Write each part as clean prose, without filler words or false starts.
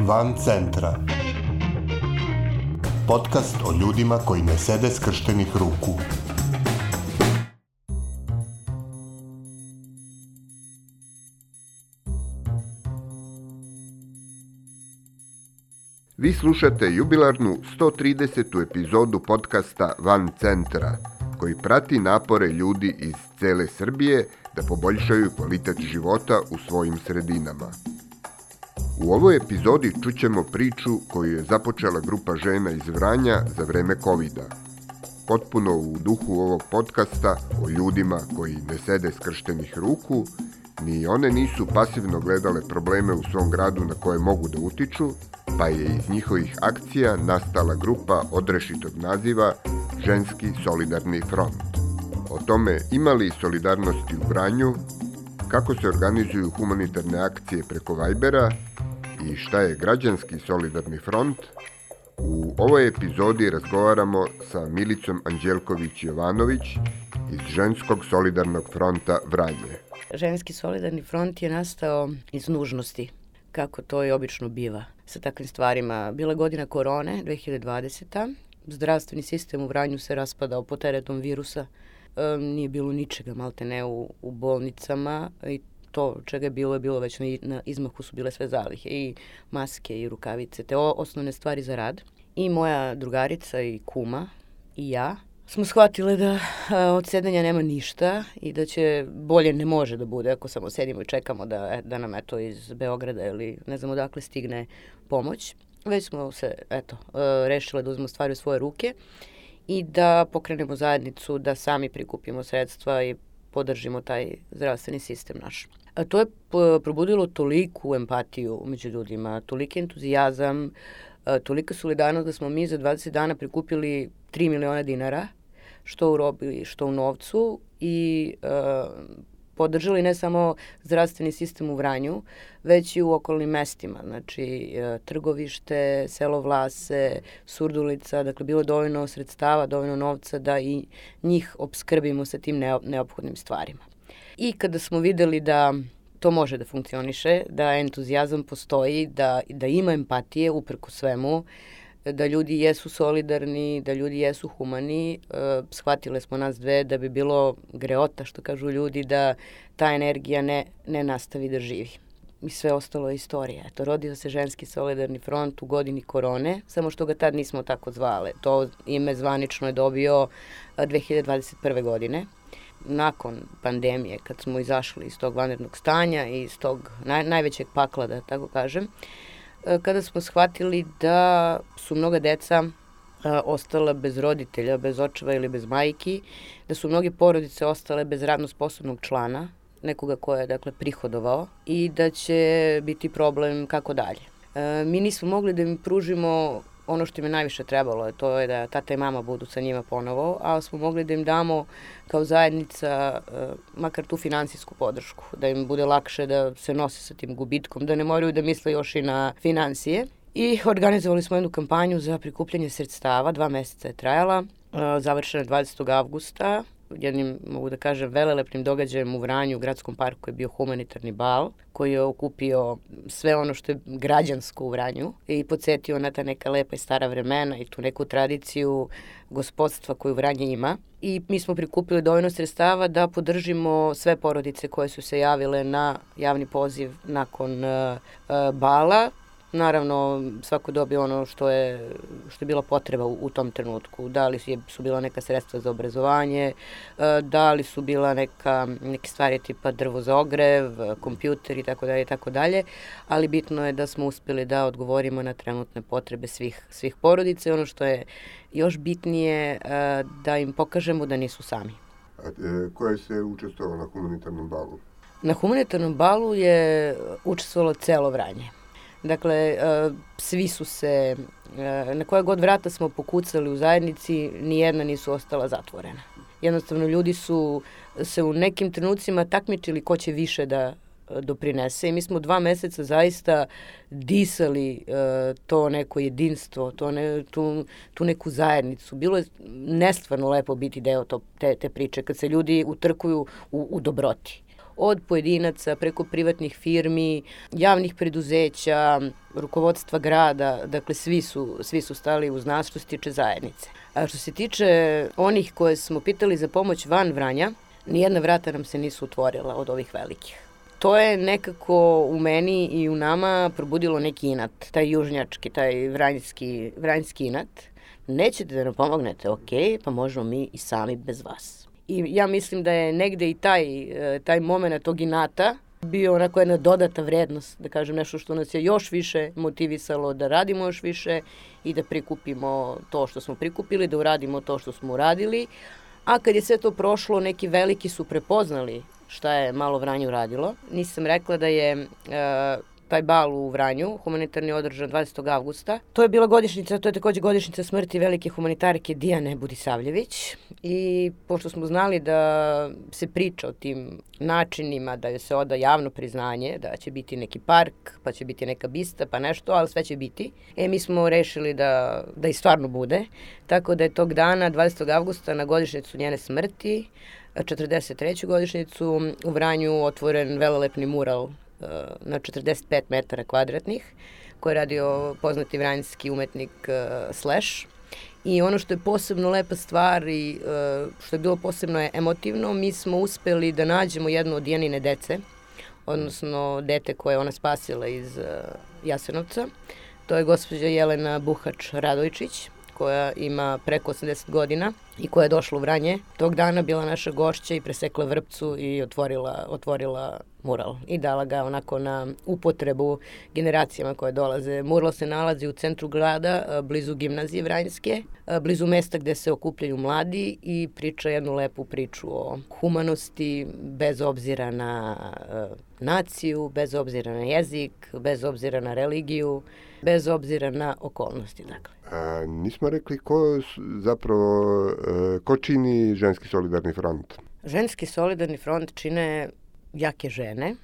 Van centra. Podcast o ljudima koji ne sede skrštenih ruku. Vi slušate jubilarnu 130. epizodu podcasta Van centra, koji prati napore ljudi iz cele Srbije da poboljšaju kvalitet života u svojim sredinama. U ovoj epizodi čućemo priču koju je započela grupa žena iz Vranja za vreme covida. Potpuno u duhu ovog podcasta o ljudima koji ne sede skrštenih ruku, ni one nisu pasivno gledale probleme u svom gradu na koje mogu da utiču, pa je iz njihovih akcija nastala grupa odrešitog naziva Ženski solidarni front. O tome ima li solidarnosti u Vranju, kako se organizuju humanitarne akcije preko Vibera i šta je građanski solidarni front, u ovoj epizodi razgovaramo sa Milicom Anđelković-Jovanović iz Ženskog solidarnog fronta Vranje. Ženski solidarni front je nastao iz nužnosti, kako to i obično biva sa takvim stvarima. Bila je godina korone, 2020. Zdravstveni sistem u Vranju se raspadao pod teretom virusa. Nije bilo ničega, malte ne, u bolnicama i to čega je bilo već na izmahu su bile sve zalihe, i maske i rukavice, te osnovne stvari za rad. I moja drugarica i kuma i ja smo shvatile da od sedenja nema ništa i da će bolje ne može da bude ako samo sedimo i čekamo da nam eto iz Beograda ili ne znam odakle stigne pomoć. Već smo se rešile da uzmemo stvari u svoje ruke i da pokrenemo zajednicu, da sami prikupimo sredstva i podržimo taj zdravstveni sistem naš. A to je probudilo toliku empatiju među ljudima, toliki entuzijazam, tolika solidarnost da smo mi za 20 dana prikupili 3 miliona dinara, što u robi, što u novcu, i podržali ne samo zdravstveni sistem u Vranju, već i u okolnim mestima, znači Trgovište, selo Vlase, Surdulica, dakle bilo je dovoljno sredstava, dovoljno novca da i njih opskrbimo sa tim neophodnim stvarima. I kada smo videli da to može da funkcioniše, da entuzijazam postoji, da ima empatije uprko svemu, da ljudi jesu solidarni, da ljudi jesu humani, shvatile smo nas dve da bi bilo greota, što kažu ljudi, da ta energija ne nastavi da živi. I sve ostalo je istorija. Rodio se Ženski solidarni front u godini korone, samo što ga tad nismo tako zvale. To ime zvanično je dobio 2021. godine. Nakon pandemije, kad smo izašli iz tog vanrednog stanja i iz tog najvećeg pakla, da tako kažem, kada smo shvatili da su mnoga deca ostala bez roditelja, bez očeva ili bez majki, da su mnoge porodice ostale bez radno sposobnog člana, nekoga ko je prihodovao, i da će biti problem kako dalje. Mi nismo mogli da im pružimo ono što im je najviše trebalo, to je da tata i mama budu sa njima ponovo, ali smo mogli da im damo kao zajednica makar tu finansijsku podršku, da im bude lakše da se nose sa tim gubitkom, da ne moraju da misle još i na finansije. I organizovali smo jednu kampanju za prikupljanje sredstava, 2 meseca je trajala, završena 20. avgusta, jednim, mogu da kažem, velelepnim događajem u Vranju, u gradskom parku je bio humanitarni bal, koji je okupio sve ono što je građansko u Vranju i podsjetio na ta neka lepa i stara vremena i tu neku tradiciju gospodstva koju Vranje ima. I mi smo prikupili dovoljno sredstava da podržimo sve porodice koje su se javile na javni poziv nakon bala. Naravno, svako dobio ono što je bila potreba u tom trenutku. Da li su bila neka sredstva za obrazovanje, da li su bila neke stvari tipa drvo za ogrev, kompjuter i tako dalje, ali bitno je da smo uspeli da odgovorimo na trenutne potrebe svih porodica i ono što je još bitnije, da im pokažemo da nisu sami. A ko je se učestvovao na humanitarnom balu? Na humanitarnom balu je učestvovalo celo Vranje. Dakle, svi su se, na koja god vrata smo pokucali u zajednici, nijedna nisu ostala zatvorena. Jednostavno, ljudi su se u nekim trenucima takmičili ko će više da doprinese i mi smo 2 meseca zaista disali to neko jedinstvo, tu neku zajednicu. Bilo je nestvarno lepo biti deo te priče, kad se ljudi utrkuju u dobroti, od pojedinaca preko privatnih firmi, javnih preduzeća, rukovodstva grada, dakle svi su stali uz nas što se tiče zajednice. A što se tiče onih koje smo pitali za pomoć van Vranja, nijedna vrata nam se nisu otvorila od ovih velikih. To je nekako u meni i u nama probudilo neki inat, taj južnjački, taj vranjski inat. Nećete da nam pomognete, ok, pa možemo mi i sami bez vas. I ja mislim da je negde i taj moment tog inata bio onako jedna dodata vrednost, da kažem nešto što nas je još više motivisalo da radimo još više i da prikupimo to što smo prikupili, da uradimo to što smo uradili. A kad je sve to prošlo, neki veliki su prepoznali šta je malo Vranje uradilo. Nisam rekla da je taj bal u Vranju, humanitarni, održan 20. avgusta. To je bila godišnjica, to je takođe godišnjica smrti velike humanitarke Dijane Budisavljević. I pošto smo znali da se priča o tim načinima, da se oda javno priznanje, da će biti neki park, pa će biti neka bista, pa nešto, ali sve će biti. Mi smo rešili da i stvarno bude. Tako da je tog dana, 20. avgusta, na godišnjicu njene smrti, 43. godišnjicu, u Vranju otvoren velelepni mural na 45 metara kvadratnih, koji je radio poznati vranjski umetnik Slash. I ono što je posebno lepa stvar i što je bilo posebno emotivno, mi smo uspeli da nađemo jednu od Dijanine dece, odnosno dete koje je ona spasila iz Jasenovca. To je gospođa Jelena Buhač-Radojčić, koja ima preko 80 godina i koja je došla u Vranje. Tog dana bila naša gošća i presekla vrpcu i otvorila mural i dala ga onako na upotrebu generacijama koje dolaze. Mural se nalazi u centru grada, blizu gimnazije Vranjske, blizu mesta gde se okupljaju mladi i priča jednu lepu priču o humanosti, bez obzira na naciju, bez obzira na jezik, bez obzira na religiju, bez obzira na okolnosti, dakle. Nismo rekli ko čini Ženski solidarni front? Ženski solidarni front čine jake žene,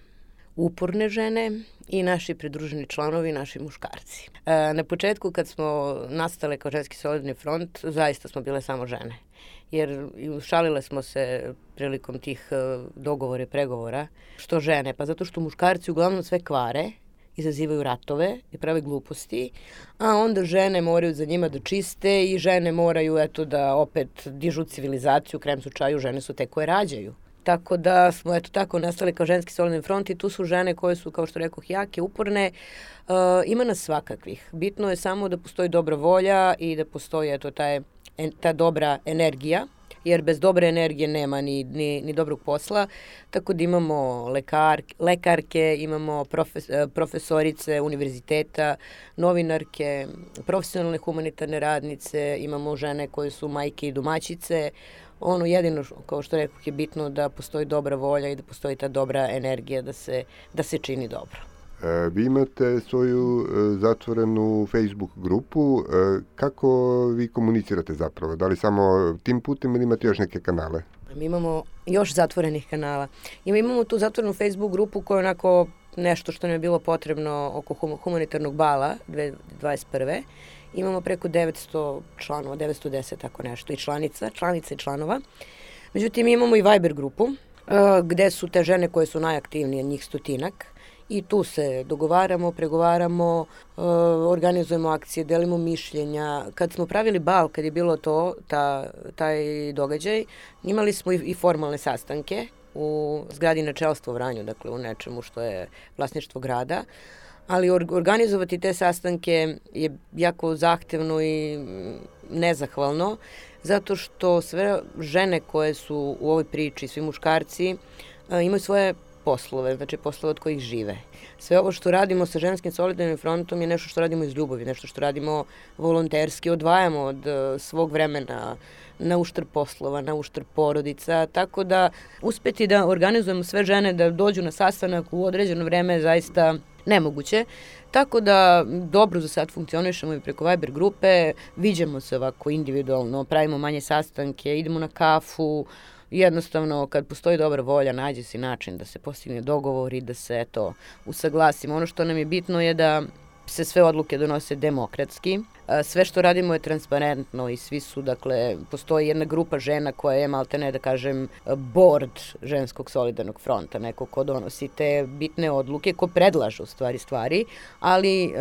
uporne žene i naši pridruženi članovi, naši muškarci. Na početku kad smo nastale kao Ženski solidarni front, zaista smo bile samo žene. Jer šalile smo se prilikom tih dogovora i pregovora. Što žene? Pa zato što muškarci uglavnom sve kvare, izazivaju ratove i prave gluposti, a onda žene moraju za njima da čiste i žene moraju da opet dižu civilizaciju, u krajem slučaju žene su te koje rađaju. Tako da smo tako nastali kao Ženski solidarni front i tu su žene koje su, kao što rekoh, jake, uporne. Ima nas svakakvih. Bitno je samo da postoji dobra volja i da postoji ta dobra energija, jer bez dobre energije nema ni dobrog posla, tako da imamo lekarke, imamo profesorice univerziteta, novinarke, profesionalne humanitarne radnice, imamo žene koje su majke i domaćice. Ono jedino, kao što rekao, je bitno da postoji dobra volja i da postoji ta dobra energija da se čini dobro. Vi imate svoju zatvorenu Facebook grupu. Kako vi komunicirate zapravo? Da li samo tim putem ili imate još neke kanale? Mi imamo još zatvorenih kanala. Imamo tu zatvorenu Facebook grupu koja je onako nešto što nam je bilo potrebno oko humanitarnog bala 2021. Imamo preko 900 članova, 910 tako nešto, i članica i članova. Međutim, imamo i Viber grupu gde su te žene koje su najaktivnije, njih 100-ak. I tu se dogovaramo, pregovaramo, organizujemo akcije, delimo mišljenja. Kad smo pravili bal, kad je bilo taj događaj, imali smo i formalne sastanke u zgradi načelstva u Vranju, dakle u nečemu što je vlasništvo grada. Ali organizovati te sastanke je jako zahtevno i nezahvalno, zato što sve žene koje su u ovoj priči, svi muškarci, imaju svoje poslove, znači poslove od kojih žive. Sve ovo što radimo sa Ženskim solidarnim frontom je nešto što radimo iz ljubavi, nešto što radimo volonterski, odvajamo od svog vremena na uštrb poslova, na uštrb porodica, tako da uspeti da organizujemo sve žene da dođu na sastanak u određeno vreme je zaista nemoguće. Tako da dobro za sad funkcionišemo i preko Viber grupe, viđamo se ovako individualno, pravimo manje sastanke, idemo na kafu. Jednostavno, kad postoji dobra volja, nađe se način da se postigne dogovor i da se usaglasimo. Ono što nam je bitno je da se sve odluke donose demokratski. Sve što radimo je transparentno i svi su, dakle, postoji jedna grupa žena koja je, maltene da kažem, board ženskog solidarnog fronta, neko ko donosi te bitne odluke, ko predlaže u stvari, ali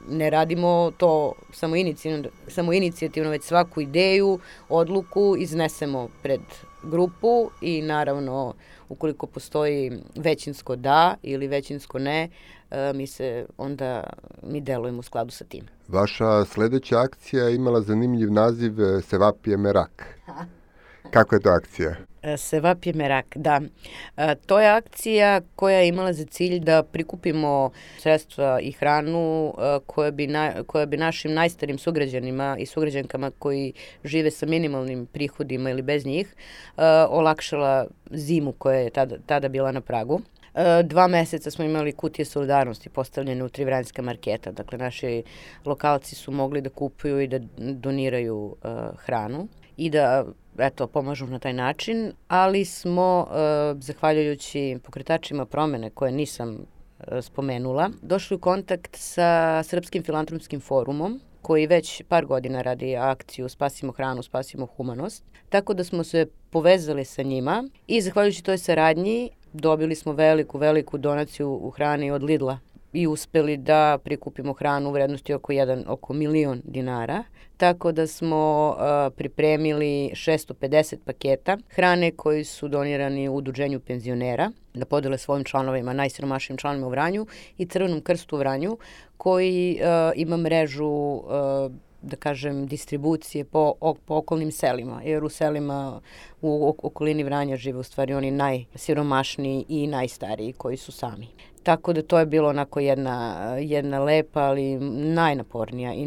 ne radimo to samo inicijativno, već svaku ideju, odluku iznesemo pred grupu i naravno ukoliko postoji većinsko da ili većinsko ne, mi delujemo u skladu sa tim. Vaša sledeća akcija je imala zanimljiv naziv Sevapje Merak. Kako je to akcija? Sevapje Merak, da. To je akcija koja je imala za cilj da prikupimo sredstva i hranu koja bi našim najstarijim sugrađanima i sugrađankama koji žive sa minimalnim prihodima ili bez njih olakšala zimu koja je tada bila na pragu. 2 meseca smo imali kutije solidarnosti postavljene u 3 vranjska marketa. Dakle, naši lokalci su mogli da kupuju i da doniraju hranu i da pomažu na taj način, ali smo, zahvaljujući pokretačima promene koje nisam spomenula, došli u kontakt sa Srpskim filantropskim forumom, koji već par godina radi akciju Spasimo hranu, spasimo humanost. Tako da smo se povezali sa njima i zahvaljujući toj saradnji dobili smo veliku donaciju u hrani od Lidla i uspeli da prikupimo hranu u vrednosti oko 1.000.000 dinara. Tako da smo pripremili 650 paketa hrane koji su donirani u udruženju penzionera da podele svojim članovima, najsiromašnijim članovima u Vranju i Crvenom krstu u Vranju koji ima mrežu da kažem, distribucije po okolnim selima, jer u selima u okolini Vranja žive u stvari oni najsiromašniji i najstariji koji su sami. Tako da to je bilo onako jedna lepa, ali najnapornija i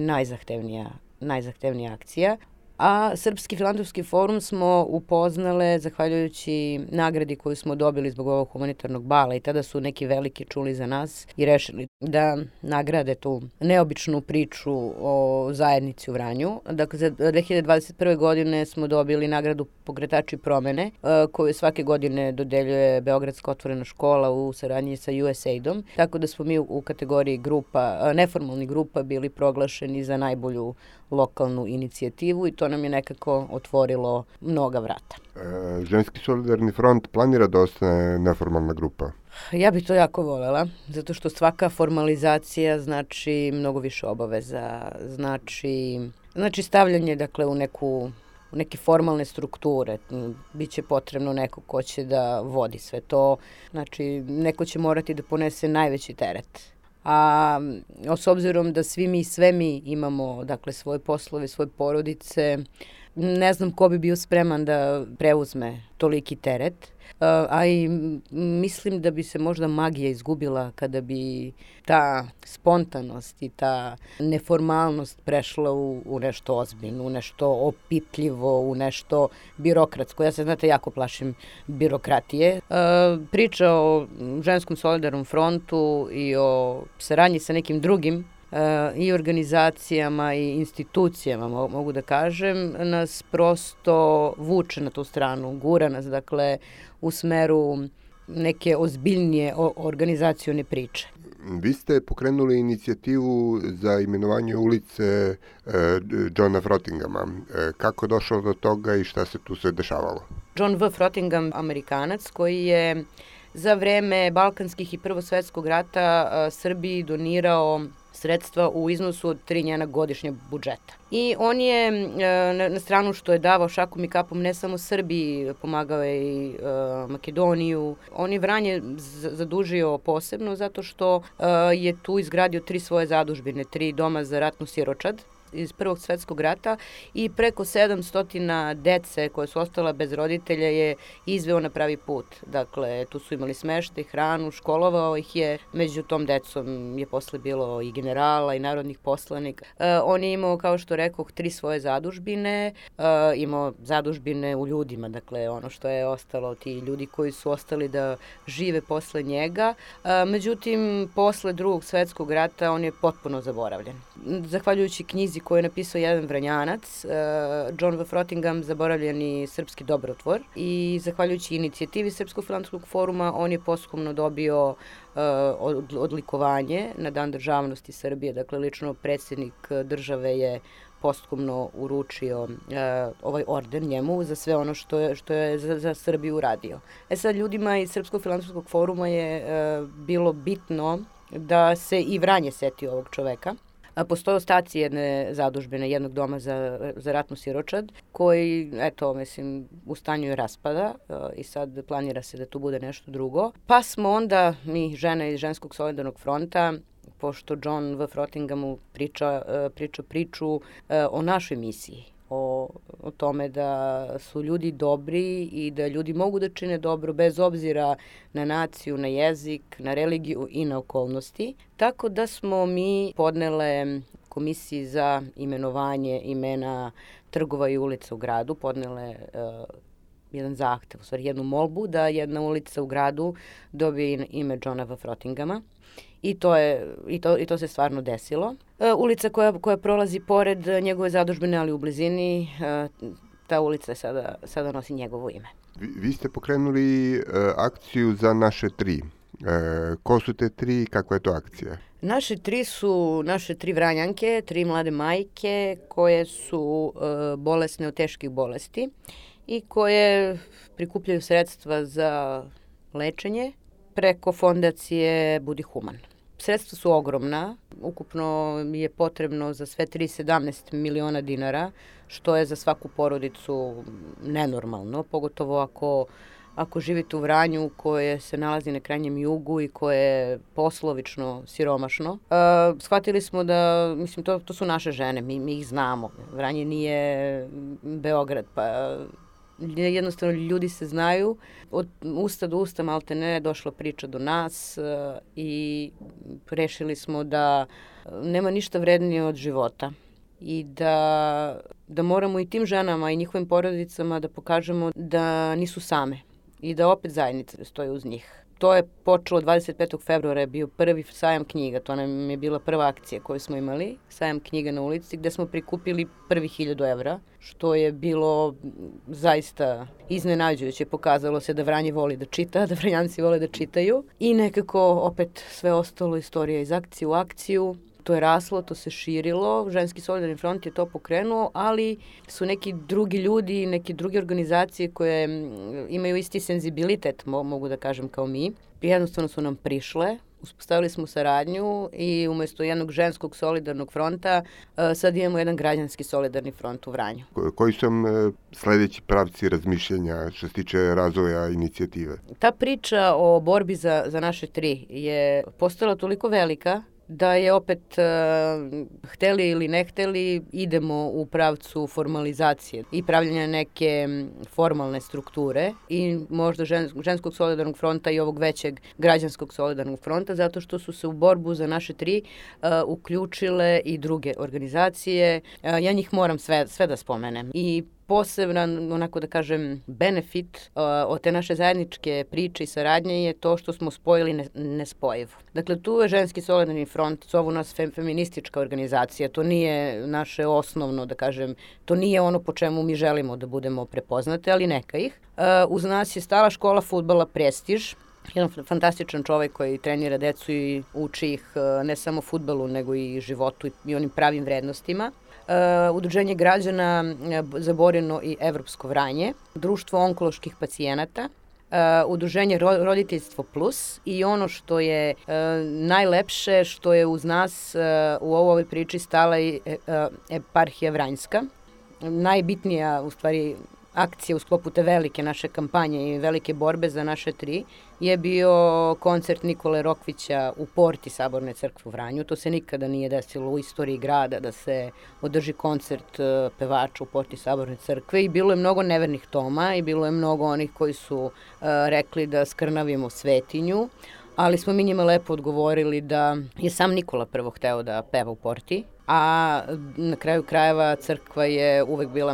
najzahtevnija akcija. A Srpski filantropski forum smo upoznale zahvaljujući nagradi koju smo dobili zbog ovog humanitarnog bala i tada su neki veliki čuli za nas i rešili da nagrade tu neobičnu priču o zajednici u Vranju. Dakle, za 2021. godine smo dobili nagradu Pokretači promene koju svake godine dodeljuje Beogradska otvorena škola u saradnji sa USAID-om. Tako da smo mi u kategoriji neformalnih grupa bili proglašeni za najbolju lokalnu inicijativu i to nam je nekako otvorilo mnoga vrata. Ženski solidarni front planira da ostane neformalna grupa? Ja bih to jako volela, zato što svaka formalizacija znači mnogo više obaveza, znači stavljanje dakle u neke formalne strukture. Biće potrebno neko ko će da vodi sve to, znači neko će morati da ponese najveći teret. A s obzirom da sve mi imamo dakle svoje poslove, svoje porodice, ne znam ko bi bio spreman da preuzme toliki teret, a i mislim da bi se možda magija izgubila kada bi ta spontanost i ta neformalnost prešla u nešto ozbiljno, u nešto opipljivo, u nešto birokratsko. Ja se, znate, jako plašim birokratije. Priča o ženskom solidarnom frontu i o saradnji sa nekim drugim i organizacijama i institucijama, mogu da kažem, nas prosto vuče na tu stranu, gura nas, dakle, u smeru neke ozbiljnije organizacione priče. Vi ste pokrenuli inicijativu za imenovanje ulice Johna Frottingama. Kako je došlo do toga i šta se tu sve dešavalo? John V. Frottingham, Amerikanac, koji je za vreme Balkanskih i Prvosvetskog rata Srbiji donirao sredstva u iznosu od 3 njena godišnje budžeta. I on je na stranu što je davao šakom i kapom ne samo Srbiji, pomagao je i Makedoniju. On je Vranje zadužio posebno zato što je tu izgradio 3 svoje zadužbine, 3 doma za ratnu siročad iz Prvog svetskog rata i preko 700 dece koje su ostala bez roditelja je izveo na pravi put. Dakle, tu su imali smeštaj, hranu, školovao ih je. Među tom decom je posle bilo i generala i narodnih poslanika. On je imao, kao što rekoh, 3 svoje zadužbine. Imao zadužbine u ljudima, dakle, ono što je ostalo, ti ljudi koji su ostali da žive posle njega. Međutim, posle Drugog svetskog rata on je potpuno zaboravljen. zahvaljujući knjizi koju je napisao jedan Vranjanac, John V. Frottingham, Zaboravljeni srpski dobrotvor, i zahvaljujući inicijativi Srpskog filantropskog foruma on je posthumno dobio odlikovanje na Dan državnosti Srbije. Dakle, lično predsjednik države je posthumno uručio ovaj orden njemu za sve ono što je za Srbiju uradio. Sad, ljudima iz Srpskog filantropskog foruma je bilo bitno da se i Vranje seti ovog čoveka. Postoje ostaci jedne zadužbine, jednog doma za ratnu siročad, koji, u stanju je raspada i sad planira se da tu bude nešto drugo. Pa smo onda, mi žene iz Ženskog solidarnog fronta, pošto John V. Frottinghamu priča priču o našoj misiji, o tome da su ljudi dobri i da ljudi mogu da čine dobro bez obzira na naciju, na jezik, na religiju i na okolnosti. Tako da smo mi podnele komisiji za imenovanje imena trgova i ulica u gradu, podnele jedan zahtev, u stvari jednu molbu da jedna ulica u gradu dobije ime Johna V. Frottinghama. I to se stvarno desilo. Ulica koja prolazi pored njegove zadužbine, ali u blizini, ta ulica sada nosi njegovo ime. Vi ste pokrenuli akciju za naše tri. Ko su te tri i kakva je to akcija? Naše tri su naše tri Vranjanke, tri mlade majke koje su bolesne od teških bolesti i koje prikupljaju sredstva za lečenje preko fondacije Budi Human. Sredstva su ogromna, ukupno je potrebno za sve 17 miliona dinara, što je za svaku porodicu nenormalno, pogotovo ako živite u Vranju koje se nalazi na krajnjem jugu i koje je poslovično siromašno. Shvatili smo da, to su naše žene, mi ih znamo. Vranje nije Beograd, pa jednostavno ljudi se znaju. Od usta do usta malte ne došla priča do nas i rešili smo da nema ništa vrednije od života i da moramo i tim ženama i njihovim porodicama da pokažemo da nisu same i da opet zajednica stoji uz njih. To je počelo 25. februara, je bio prvi sajam knjiga, to nam je bila prva akcija koju smo imali, sajam knjiga na ulici, gde smo prikupili prvi 1000 evra, što je bilo zaista iznenađujuće. Pokazalo se da Vranje voli da čita, da Vranjanci vole da čitaju i nekako opet sve ostalo istorija iz akcije u akciju. To je raslo, to se širilo, Ženski solidarni front je to pokrenuo, ali su neki drugi ljudi, neke druge organizacije koje imaju isti senzibilitet, mogu da kažem, kao mi. Jednostavno su nam prišle, uspostavili smo saradnju i umjesto jednog ženskog solidarnog fronta sad imamo jedan građanski solidarni front u Vranju. Koji su sljedeći pravci razmišljanja što se tiče razvoja inicijative? Ta priča o borbi za naše tri je postala toliko velika da je opet, hteli ili ne hteli, idemo u pravcu formalizacije i pravljanja neke formalne strukture i možda Ženskog solidarnog fronta i ovog većeg građanskog solidarnog fronta, zato što su se u borbu za naše tri uključile i druge organizacije. Ja njih moram sve da spomenem. I poseban, onako da kažem, benefit od te naše zajedničke priče i saradnje je to što smo spojili nespojivo. Dakle, tu je Ženski solidarni front, zovu nas feministička organizacija, to nije naše osnovno, da kažem, to nije ono po čemu mi želimo da budemo prepoznate, ali neka ih. Uz nas je stala škola fudbala Prestiž, jedan fantastičan čovjek koji trenira decu i uči ih ne samo fudbalu, nego i životu i onim pravim vrednostima. Udruženje građana za Borino i Evropsko Vranje, Društvo onkoloških pacijenata, Udruženje Roditeljstvo plus i ono što je najlepše, što je uz nas u ovoj priči stala i eparhija Vranjska. Najbitnija, u stvari, akcija u sklopu te velike naše kampanje i velike borbe za naše tri je bio koncert Nikole Rokvića u porti Saborne crkve u Vranju. To se nikada nije desilo u istoriji grada da se održi koncert pevača u porti Saborne crkve i bilo je mnogo nevernih Toma i bilo je mnogo onih koji su rekli da skrnavimo svetinju. ali smo mi njima lepo odgovorili da je sam Nikola prvo hteo da peva u Porti, a na kraju krajeva crkva je uvek bila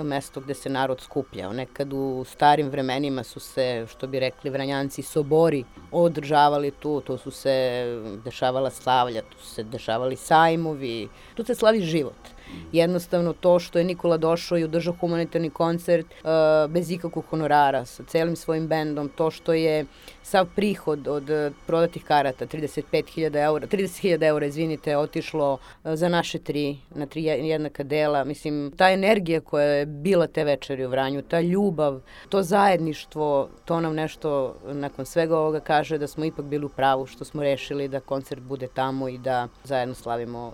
mesto gde se narod skupljao. Nekad u starim vremenima su se, što bi rekli Vranjanci, sobori održavali tu su se dešavala slavlja, tu su se dešavali sajmovi, tu se slavi život. Jednostavno to što je Nikola došao i održao humanitarni koncert bez ikakvog honorara, sa celim svojim bendom, to što je sav prihod od prodatih karata, 30.000 eura, otišlo za naše na 3 jednaka dela. Mislim, ta energija koja je bila te večeri u Vranju, ta ljubav, to zajedništvo, to nam nešto nakon svega ovoga kaže da smo ipak bili u pravu što smo rešili da koncert bude tamo i da zajedno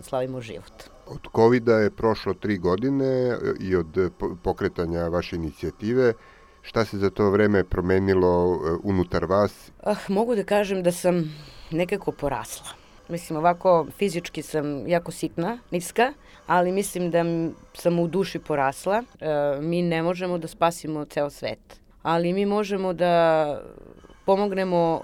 slavimo život. Od COVID-a je prošlo 3 godine i od pokretanja vaše inicijative. Šta se za to vreme promenilo unutar vas? Mogu da kažem da sam nekako porasla. Mislim, ovako fizički sam jako sitna, niska, ali mislim da sam u duši porasla. Mi ne možemo da spasimo ceo svet, ali mi možemo da pomognemo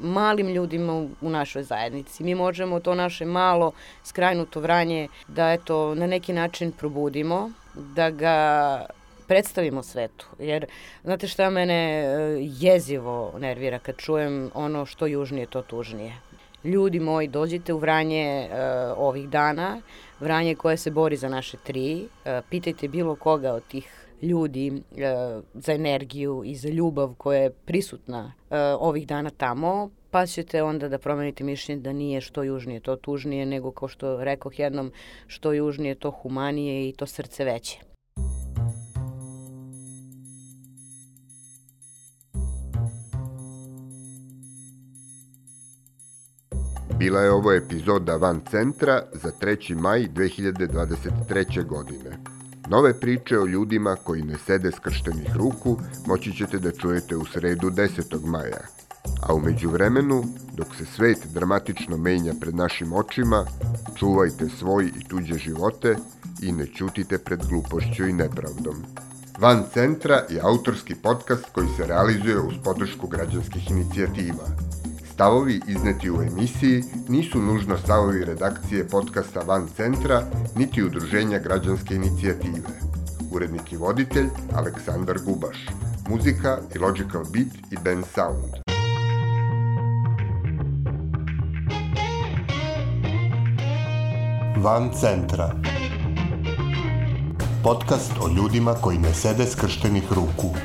malim ljudima u našoj zajednici. Mi možemo to naše malo skrajnuto Vranje da na neki način probudimo, da ga predstavimo svetu. Jer, znate šta mene jezivo nervira kad čujem ono što južnije, to tužnije. Ljudi moji, dođite u Vranje ovih dana, Vranje koje se bori za naše 3, pitajte bilo koga od tih ljudi za energiju i za ljubav koja je prisutna ovih dana tamo, pa ćete onda da promenite mišljenje da nije što južnije to tužnije, nego kao što rekoh jednom, što južnije to humanije i to srce veće. Bila je ovo epizoda Van centra za 3. maj 2023. godine. Nove priče o ljudima koji ne sede skrštenih ruku moći ćete da čujete u sredu 10. maja. A u međuvremenu, dok se svet dramatično menja pred našim očima, čuvajte svoj i tuđe živote i ne ćutite pred glupošću i nepravdom. Van centra je autorski podcast koji se realizuje uz podršku građanskih inicijativa. Stavovi izneti u emisiji nisu nužno stavovi redakcije podcasta Van centra, niti udruženja građanske inicijative. Urednik i voditelj Aleksandar Gubaš. Muzika i Logical Beat i Ben Sound. Van centra. Podcast o ljudima koji ne sede skrštenih ruku.